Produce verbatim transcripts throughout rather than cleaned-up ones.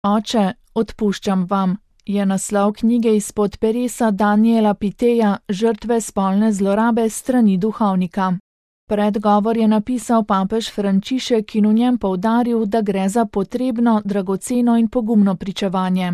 Oče, odpuščam vam, je naslov knjige izpod peresa Daniela Piteja Žrtve spolne zlorabe strani duhovnika. Predgovor je napisal papež Frančišek in v njem poudaril, da gre za potrebno, dragoceno in pogumno pričevanje.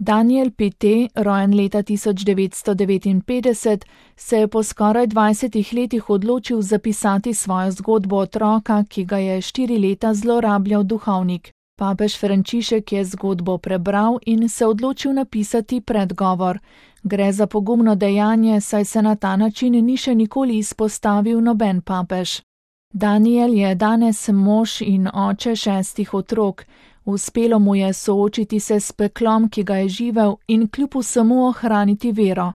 Daniel Pite, rojen leta tisoč devetsto devetinpetdeset, se je po skoraj dvajsetih letih odločil zapisati svojo zgodbo otroka, ki ga je štiri leta zlorabljal duhovnik. Papež Frančišek je zgodbo prebral in se odločil napisati predgovor. Gre za pogumno dejanje, saj se na ta način ni še nikoli izpostavil noben papež. Daniel je danes mož in oče šestih otrok. Uspelo mu je soočiti se s peklom, ki ga je živel, in kljub vsemu ohraniti vero.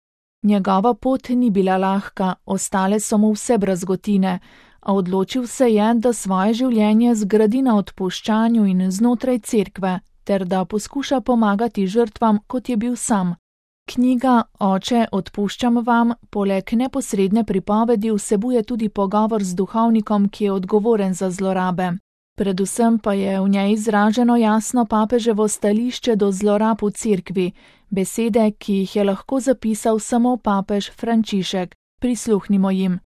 Njegova pot ni bila lahka, ostale so mu vse brazgotine, a odločil se je, da svoje življenje zgradi na odpuščanju in znotraj cerkve, ter da poskuša pomagati žrtvam, kot je bil sam. Knjiga Oče, odpuščam vam, poleg neposredne pripovedi vsebuje tudi pogovor z duhovnikom, ki je odgovoren za zlorabe. Predvsem pa je v njej izraženo jasno papeževo stališče do zlorab v cerkvi, besede, ki jih je lahko zapisal samo papež Frančišek. Prisluhnimo jim.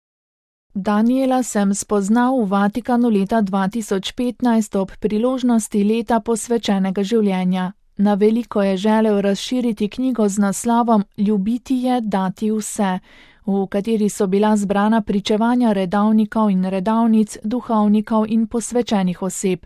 Daniela sem spoznal v Vatikanu leta dva tisoč petnajst ob priložnosti leta posvečenega življenja. Na veliko je želel razširiti knjigo z naslovom Ljubiti je dati vse, v kateri so bila zbrana pričevanja redovnikov in redovnic, duhovnikov in posvečenih oseb.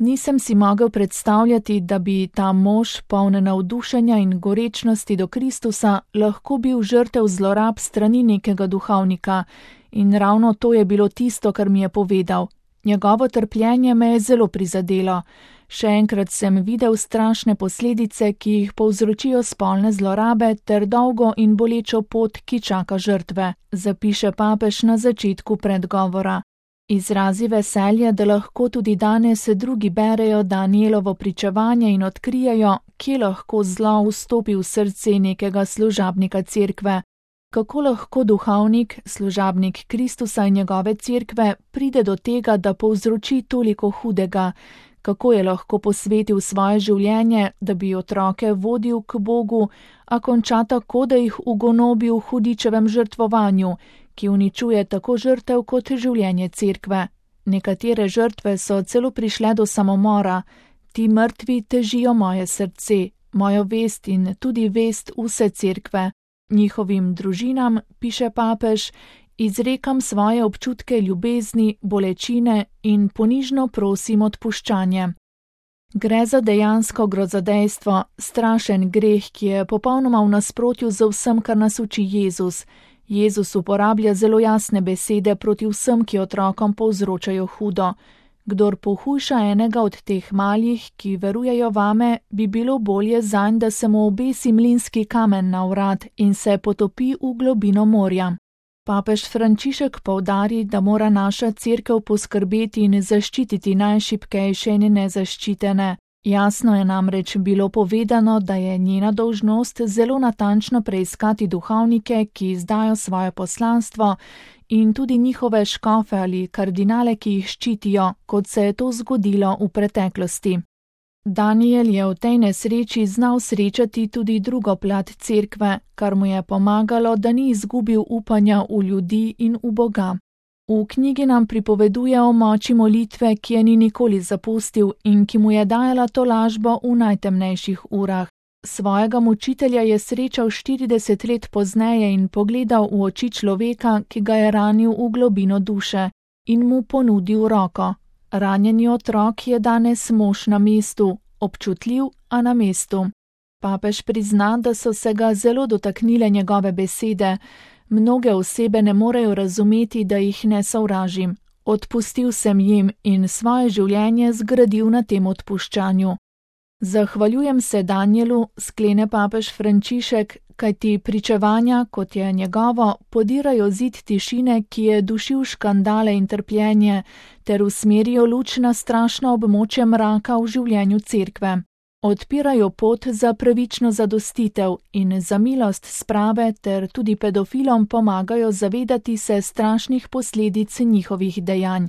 Nisem si mogel predstavljati, da bi ta mož, poln navdušenja in gorečnosti do Kristusa, lahko bil žrtev zlorab strani nekega duhovnika, in ravno to je bilo tisto, kar mi je povedal. Njegovo trpljenje me je zelo prizadelo. Še enkrat sem videl strašne posledice, ki jih povzročijo spolne zlorabe, ter dolgo in bolečo pot, ki čaka žrtve, zapiše papež na začetku predgovora. Izrazi veselje, da lahko tudi danes drugi berejo Danielovo pričevanje in odkrijejo, kje lahko zlo vstopi v srce nekega služabnika cerkve. Kako lahko duhovnik, služabnik Kristusa in njegove cerkve, pride do tega, da povzroči toliko hudega, kako je lahko posvetil svoje življenje, da bi otroke vodil k Bogu, a konča tako, da jih ugonobi v hudičevem žrtvovanju, ki uničuje tako žrtev kot življenje cerkve. Nekatere žrtve so celo prišle do samomora. Ti mrtvi težijo moje srce, mojo vest in tudi vest vse cerkve. Njihovim družinam, piše papež, izrekam svoje občutke ljubezni, bolečine in ponižno prosim odpuščanje. Gre za dejansko grozodejstvo, strašen greh, ki je popolnoma v nasprotju z vsem, kar nas uči Jezus. Jezus uporablja zelo jasne besede proti vsem, ki otrokom povzročajo hudo. Kdor pohujša enega od teh malih, ki verujejo vame, bi bilo bolje zanj, da se mu obesi mlinski kamen na vrat in se potopi v globino morja. Papež Frančišek poudari, da mora naša cerkev poskrbeti in zaščititi najšibkejše in nezaščitene. Jasno je namreč bilo povedano, da je njena dolžnost zelo natančno preiskati duhovnike, ki izdajo svoje poslanstvo, in tudi njihove škofe ali kardinale, ki jih ščitijo, kot se je to zgodilo v preteklosti. Daniel je v tej nesreči znal srečati tudi drugo plat cerkve, kar mu je pomagalo, da ni izgubil upanja v ljudi in v Boga. V knjigi nam pripoveduje o moči molitve, ki je ni nikoli zapustil in ki mu je dajala tolažbo v najtemnejših urah. Svojega mučitelja je srečal štirideset let pozneje in pogledal v oči človeka, ki ga je ranil v globino duše, in mu ponudil roko. Ranjeni otrok je danes mož na mestu, občutljiv, a na mestu. Papež prizna, da so se ga zelo dotaknile njegove besede. Mnoge osebe ne morejo razumeti, da jih ne sovražim. Odpustil sem jim in svoje življenje zgradil na tem odpuščanju. Zahvaljujem se Danielu, sklene papež Frančišek, kajti pričevanja, kot je njegovo, podirajo zid tišine, ki je dušil škandale in trpljenje, ter usmerijo luč na strašno območje mraka v življenju cerkve. Odpirajo pot za pravično zadostitev in za milost sprave ter tudi pedofilom pomagajo zavedati se strašnih posledic njihovih dejanj.